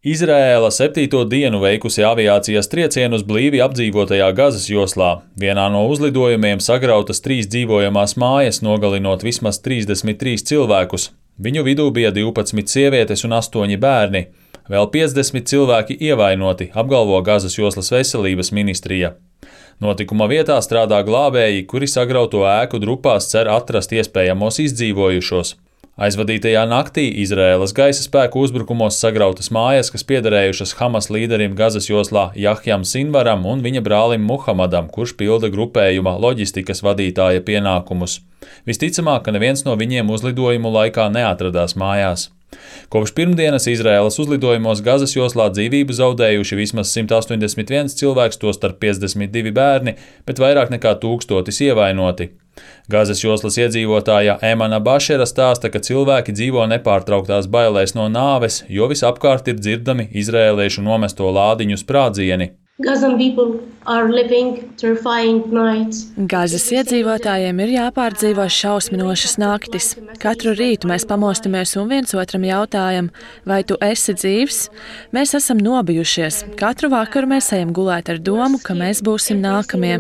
Izraēla 7. dienu veikusi aviācijas triecienu uz blīvi apdzīvotajā Gazas joslā. Vienā no uzlidojumiem sagrautas 3 dzīvojamās mājas, nogalinot vismaz 33 cilvēkus. Viņu vidū bija 12 sievietes un 8 bērni. Vēl 50 cilvēki ievainoti, apgalvo Gazas joslas veselības ministrija. Notikuma vietā strādā glābēji, kuri sagrauto ēku drupās cer atrast iespējamos izdzīvojušos. Aizvadītajā naktī Izraēlas gaisa spēku uzbrukumos sagrautas mājas, kas piederējušas Hamas līderim Gazas joslā Jahjam Sinvaram un viņa brālim Muhamadam, kurš pilda grupējuma loģistikas vadītāja pienākumus. Visticamāk, ka neviens no viņiem uzlidojumu laikā neatradās mājās. Kopš pirmdienas Izraēlas uzlidojumos Gazas joslā dzīvību zaudējuši vismaz 181 cilvēks, tostarp 52 bērni, bet vairāk nekā 1000 ievainoti. Gazas joslas iedzīvotāja Emana Bašera stāsta, ka cilvēki dzīvo nepārtrauktās bailēs no nāves, jo visapkārt ir dzirdami izraēliešu nomesto lādiņu sprādzieni. Gazas iedzīvotājiem ir jāpārdzīvo šausminošas naktis. Katru rītu mēs pamostamies un viens otram jautājam, vai tu esi dzīvs? Mēs esam nobijušies. Katru vakaru mēs ejam gulēt ar domu, ka mēs būsim nākamie.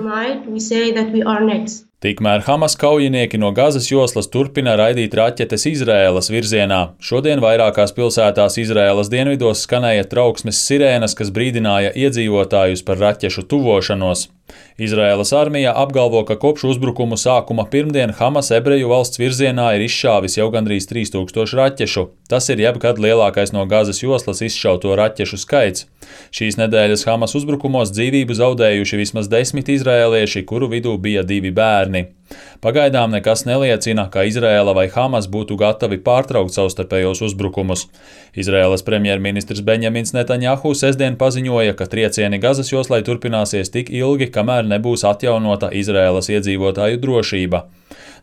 Tikmēr Hamas kaujinieki no Gazas joslas turpina raidīt raķetes Izraēlas virzienā. Šodien vairākās pilsētās Izraēlas dienvidos skanēja trauksmes sirēnas, kas brīdināja iedzīvotājus par raķešu tuvošanos. Izraēlas armija apgalvo, ka kopš uzbrukumu sākuma pirmdien Hamas ebreju valsts virzienā ir izšāvis jau gandrīz 3000 raķešu. Tas ir jebkad lielākais no Gazas joslas izšauto raķešu skaits. Šīs nedēļas Hamas uzbrukumos dzīvību zaudējuši vismaz 10 izraēlieši, kuru vidū bija 2 bērni. Pagaidām nekas neliecina, ka Izraēla vai Hamas būtu gatavi pārtraukt savstarpējos uzbrukumus. Izraēlas premjerministrs Benjamins Netanjahu sestdien paziņoja, ka triecieni Gazas joslai turpināsies tik ilgi, kamēr nebūs atjaunota Izraēlas iedzīvotāju drošība.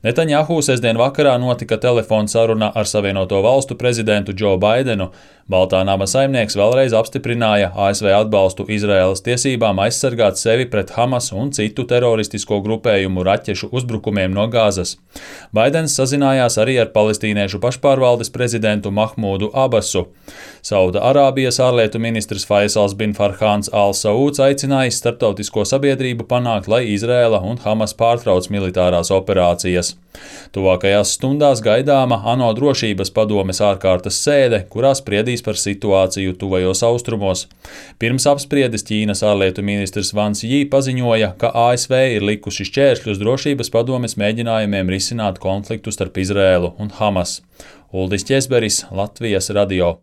Netanjahu sestdien vakarā notika telefona saruna ar Savienoto Valstu prezidentu Džo Baidenu. Baltā nama saimnieks vēlreiz apstiprināja ASV atbalstu Izraēlas tiesībām aizsargāt sevi pret Hamas un citu teroristisko grupējumu raķešu uzbrukumiem no Gazas. Baidens sazinājās arī ar palestīniešu pašpārvaldes prezidentu Mahmūdu Abasu. Sauda Arābijas ārlietu ministrs Faisals bin Farhāns al-Sauds aicinājis starptautisko sabiedrību panākt, lai Izraēla un Hamas pārtrauc militārās operācijas. Tuvākajās stundās gaidāma ANO drošības padomes ārkārtas sēde, kurā spriedīs par situāciju tuvajos austrumos. Pirms apspriedes Ķīnas ārlietu ministrs Vans Jī paziņoja, ka ASV ir likuši šķēršļus drošības padomes mēģinājumiem risināt konfliktu starp Izraēlu un Hamas. Uldis Ķesberis, Latvijas radio.